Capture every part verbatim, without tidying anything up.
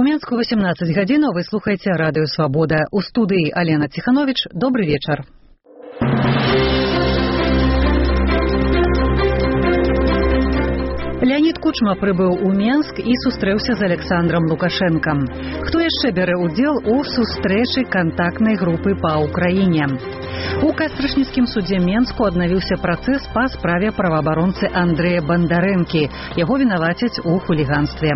У Менску восемнадцать гадзінаў вы слухаеце радыё Свабода. У студыі Алена Ціханович. Добры вечар. Леонид Кучма прыбыў у Менск і сустрэўся з Александром Лукашенком. Хто яшчэ бярэ ўдзел у сустрэчы кантактнай групы па Украіне? У Кастрычніцкім судзе Менску аднавіўся працэс па справе праваабаронцы Андрэя Бандарэнкі. Яго вінавацяць у хуліганстве.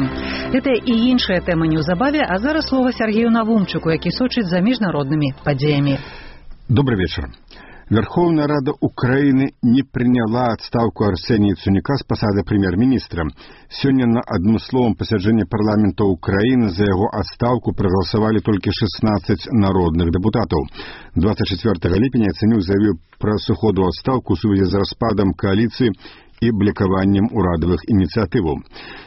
Гэта і іншая тэма неўзабаве, а зараз слова Сергею Навумчуку, які сочыць за міжнароднымі падзеямі. Добрый вечер. Верховная Рада Украины не приняла отставку Арсения Яценюка с посады премьер-министра. Сегодня на однословном посяджении парламента Украины за его отставку проголосовали только шестнадцать народных депутатов. двадцать четвёртого липеня Яценюк заявил про сыходу отставку в связи с распадом коалиции и блокованием урадовых инициатив.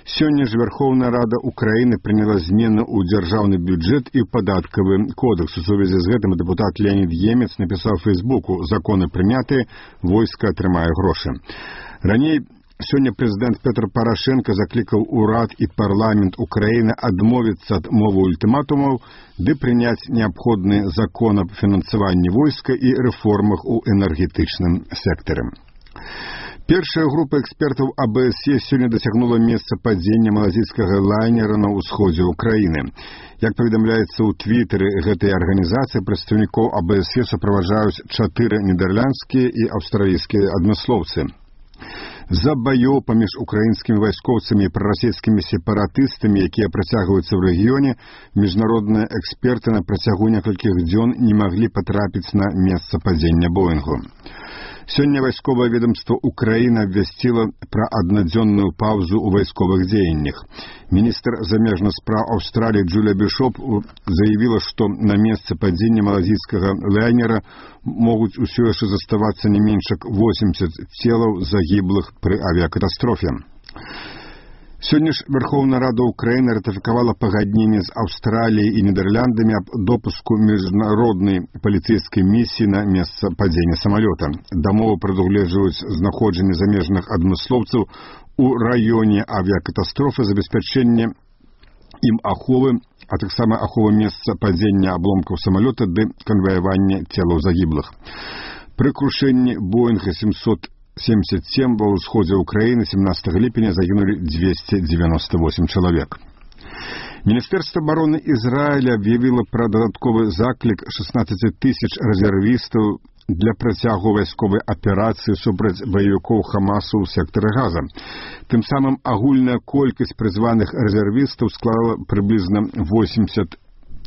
Сегодня же Верховная Рада Украины приняла змены у державный бюджет и податковый кодекс. У связи с этим депутат Леонид Емец написал в Фейсбуку: законы приняты, войска отрымае гроши. Ранее сегодня президент Петр Порошенко закликал урад и парламент Украины отмовиться от мовы ультиматумов, да принять необходные законы об финансировании войска и реформах у энергетичном секторе. Першая група экспертаў А Б С Е сёння дасягнула месца падзення малазійскага лайнера на ўсходзе Украіны. Як паведамляецца ў твітары гэтай арганізацыі, прадстаўнікоў А Б С Е суправаджаюць чатыры нідерландскія і аўстралійскія адмыслоўцы. З-за баёў паміж украінскімі вайскоўцамі і прарасійскімі сепаратыстамі, якія працягваюцца ў рэгіёне, міжнародныя эксперты на працягу некалькіх дзён не маглі патрапіць на месца падзення Боінгу. Сегодня войсковое ведомство Украины обвестило про однодневную паузу у войсковых деяниях. Министр замежных справ Австралии Джулия Бишоп заявила, что на месте падения малазийского лайнера могут все еще заставаться не меньше восемьдесят телов загиблых при авиакатастрофе. Сегодня ж Верховная Рада Украины ратификовала погоднение с Австралией и Нидерландами об допуску международной полицейской миссии на место падения самолета. Дамовы прадугледжваюць знаходжанне замежных адмыслоўцаў у районе авиакатастрофы, забеспячэнне ім аховы, а таксама аховы месца падзення обломкаў самолета ды канваявання целаў загіблых. Пры крушэнні Боинга семьсот семьдесят семь во ўсходзе Украины семнадцатого липеня загинули двести девяносто восемь человек. Министерство обороны Израиля объявило про додатковый заклик шестнадцать тысяч резервистов для працягу вайсковай аперацыі супраць баевікоў Хамасу ў сектары Газа. Тым самым агульная колькасць прызваных резервистов склала приблизно восемьдесят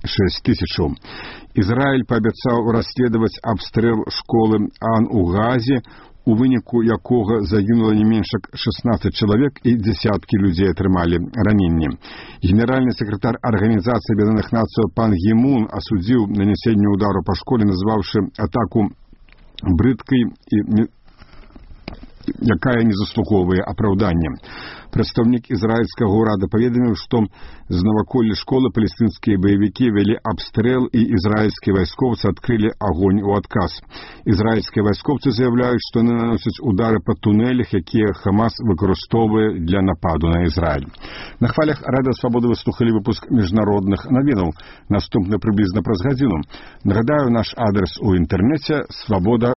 шесть тысяч. Израиль пообещал расследовать обстрел школы Ан у Газе, у выніку якога загинуло не меньше шестнадцать человек и десятки людей атрымалі раненні. Генеральный секретарь Организации Объединенных Наций Пан Гі Мун осудил нанесение удара по школе, назвавши атаку брыдкой и якая не заслуговывае апраўдання. Прадстаўнік ізраільскага ўрада паведаміў, што з наваколля школы палестынскія баевікі вялі абстрэл і ізраільскія вайскоўцы адкрылі агонь у адказ. Ізраільскія вайскоўцы заявляюць, што яны наносяць удары па тунэлях, якія Хамас выкарыстоўвае для нападу на Ізраіль. На хвалях Радыё Свабода вы слухалі выпуск міжнародных навінаў. Наступны прыблізна праз гадзіну. Нагадаю, наш адрес у інтэрнэце свабода